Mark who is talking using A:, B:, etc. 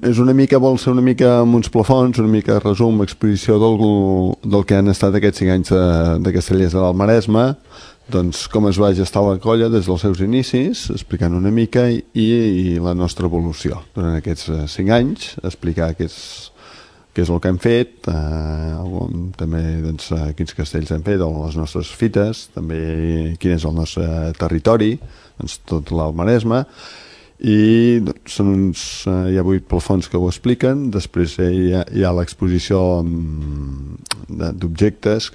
A: és una mica, vol ser una mica amb uns plafons, una mica resum, exposició del que han estat aquests 5 anys de Castellers de l'Maresme, doncs com es va gestar la colla des dels seus inicis, explicant una mica i la nostra evolució durant aquests 5 anys, explicar què és el que hem fet, també doncs, quins castells hem fet, les nostres fites, també quin és el nostre territori, doncs, tot l'Maresme, i doncs, hi ha 8 plafons que ho expliquen. Després hi ha l'exposició d'objectes